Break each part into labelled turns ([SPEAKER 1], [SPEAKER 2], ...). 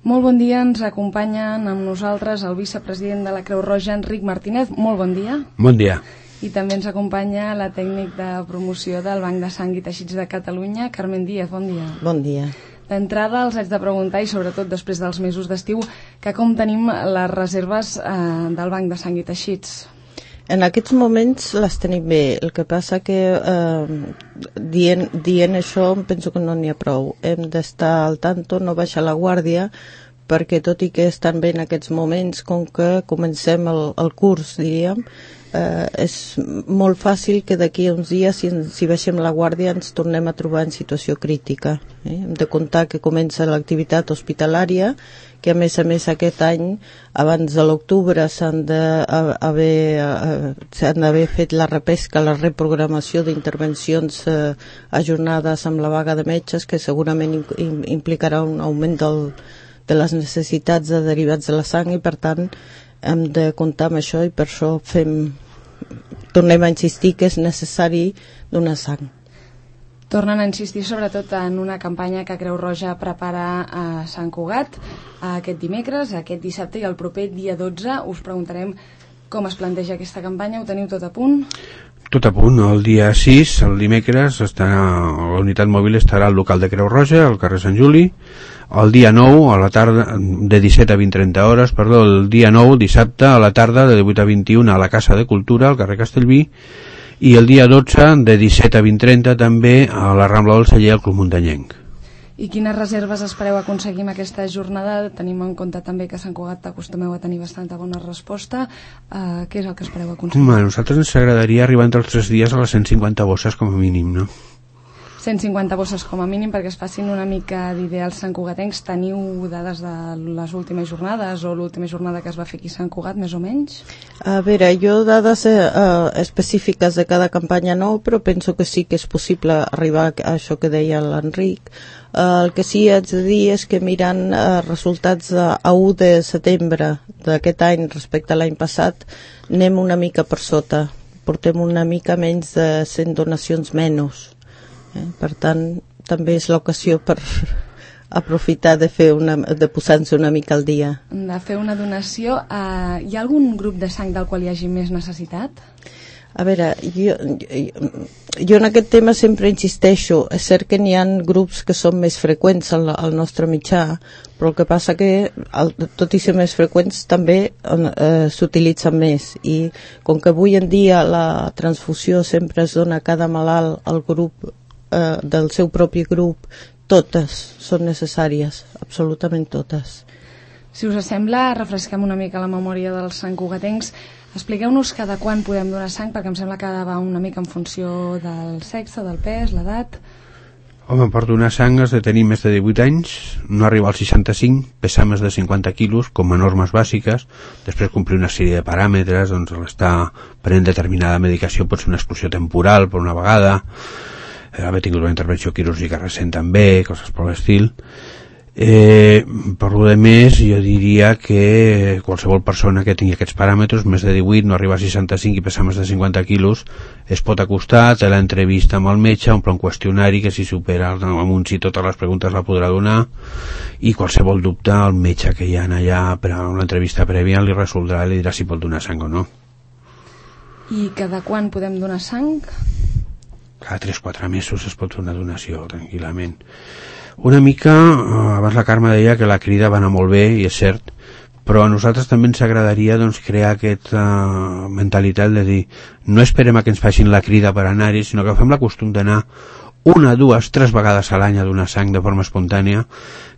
[SPEAKER 1] Molt bon dia, ens acompanyen amb nosaltres el vicepresident de la Creu Roja, Enric Martínez. Molt bon dia.
[SPEAKER 2] Bon dia.
[SPEAKER 1] I també ens acompanya la tècnic de promoció del Banc de Sang i Teixits de Catalunya, Carmen Díaz. Bon dia.
[SPEAKER 3] Bon dia.
[SPEAKER 1] D'entrada els haig de preguntar, i sobretot després dels mesos d'estiu, que com tenim les reserves del Banc de Sang i Teixits?
[SPEAKER 3] En aquests moments les tenim bé, el que passa que dient això penso que no n'hi ha prou. Hem d'estar al tanto, no baixar la guàrdia, perquè tot i que estan bé en aquests moments, com que comencem el curs, diríem, és molt fàcil que d'aquí a uns dies, si baixem la guàrdia, ens tornem a trobar en situació crítica. Hem de comptar que comença l'activitat hospitalària, que a més aquest any, abans de l'octubre, s'han d'haver fet la repesca, la reprogramació d'intervencions ajornades amb la vaga de metges, que segurament implicarà un augment de les necessitats de derivats de la sang, i per tant hem de comptar amb això, i per això tornem a insistir que és necessari donar sang.
[SPEAKER 1] Tornen a insistir sobretot en una campanya que Creu Roja prepara a Sant Cugat aquest dimecres, aquest dissabte i el proper dia 12. Us preguntarem com es planteja aquesta campanya. Ho teniu tot a punt?
[SPEAKER 2] Tot a punt. El dia 6, el dimecres, la unitat mòbil estarà al local de Creu Roja, al carrer Sant Juli. El dia 9, a la tarda, de 17 a 20-30 hores, el dia 9, dissabte, a la tarda, de 18 a 21, a la Casa de Cultura, al carrer Castellví, i el dia 12, de 17 a 20-30, també a la Rambla del Celler, al Club Muntanyenc.
[SPEAKER 1] I quines reserves espereu aconseguir amb aquesta jornada? Tenim en compte també que a Sant Cugat acostumeu a tenir bastanta bona resposta. Què és el que espereu aconseguir?
[SPEAKER 2] A nosaltres ens agradaria arribar entre els 3 dies a les 150 bosses com a mínim, no?
[SPEAKER 1] 150 bosses com a mínim, perquè es facin una mica d'ideals santcugatencs. Teniu dades de les últimes jornades o l'última jornada que es va fer aquí a Sant Cugat, més o menys?
[SPEAKER 3] A veure, jo dades específiques de cada campanya no, però penso que sí que és possible arribar a això que deia l'Enric. El que sí haig de dir és que mirant resultats a 1 de setembre d'aquest any respecte a l'any passat, anem una mica per sota. Portem una mica menys de 100 donacions menys. Per tant, també és l'ocasió per aprofitar de posar-nos una mica al dia.
[SPEAKER 1] De fer una donació. Hi ha algun grup de sang del qual hi hagi més necessitat?
[SPEAKER 3] A veure, jo en aquest tema sempre insisteixo. És cert que n'hi ha grups que són més freqüents al nostre mitjà, però el que passa que, tot i ser més freqüents, també s'utilitzen més. I com que avui en dia la transfusió sempre es dona a cada malalt al grup del seu propi grup, totes són necessàries, absolutament totes.
[SPEAKER 1] Si us sembla, refresquem una mica la memòria dels santcugatencs. Expliqueu-nos cada quan podem donar sang, perquè em sembla que va una mica en funció del sexe, del pes, l'edat.
[SPEAKER 2] Home, per donar sang has de tenir més de 18 anys, no arribar als 65, pesar més de 50 quilos, com a normes bàsiques, després complir una sèrie de paràmetres, doncs l'estar prenent determinada medicació pot ser una exclusió temporal per una vegada, haver tingut una intervenció quirúrgica recent també, coses per l'estil. Per lo de més, jo diria que qualsevol persona que tingui aquests paràmetres, més de 18, no arriba a 65 i pesar més de 50 quilos, es pot acostar, té l'entrevista amb el metge, omple un qüestionari que si supera amb un sí totes les preguntes la podrà donar, i qualsevol dubte el metge que hi ha allà per a una entrevista prèvia li resoldrà i li dirà si pot donar sang o no.
[SPEAKER 1] I cada quan podem donar sang?
[SPEAKER 2] Cada 3-4 mesos es pot fer una donació tranquil·lament. Una mica, abans la Carme deia que la crida va anar molt bé, i és cert, però a nosaltres també ens agradaria crear aquesta mentalitat de dir, no esperem a que ens facin la crida per anar-hi, sinó que fem la costum d'anar 1, 2, 3 vegades a l'any a donar sang de forma espontània,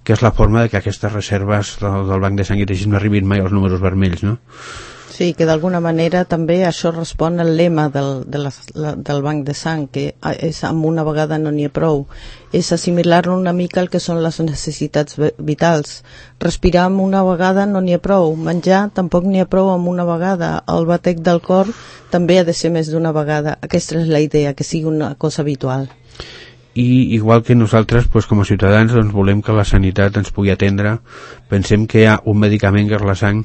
[SPEAKER 2] que és la forma de que aquestes reserves del Banc de Sang i Teixits no arribin mai als números vermells, no?
[SPEAKER 3] Sí, que d'alguna manera també això respon al lema del Banc de Sang, que és amb una vegada no n'hi ha prou. És assimilar-lo una mica al que són les necessitats vitals. Respirar amb una vegada no n'hi ha prou. Menjar tampoc n'hi ha prou amb una vegada. El batec del cor també ha de ser més d'una vegada. Aquesta és la idea, que sigui una cosa habitual.
[SPEAKER 2] I igual que nosaltres, com a ciutadans, volem que la sanitat ens pugui atendre. Pensem que hi ha un medicament, que és la sang,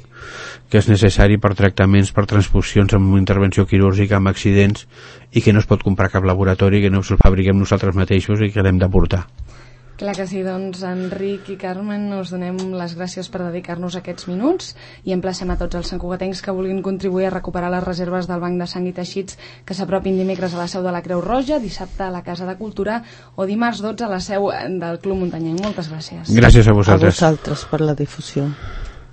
[SPEAKER 2] que és necessari per tractaments, per transfusions amb intervenció quirúrgica, amb accidents, i que no es pot comprar cap laboratori, que no el fabriquem nosaltres mateixos i que l'hem d'aportar.
[SPEAKER 1] Clar que sí, doncs Enric i Carmen us donem les gràcies per dedicar-nos aquests minuts i emplacem a tots els santcugatencs que vulguin contribuir a recuperar les reserves del Banc de Sang i Teixits que s'apropin dimecres a la seu de la Creu Roja, dissabte a la Casa de Cultura o dimarts 12 a la seu del Club Muntanyenc. Moltes gràcies.
[SPEAKER 2] Gràcies a vosaltres.
[SPEAKER 3] A vosaltres per la difusió.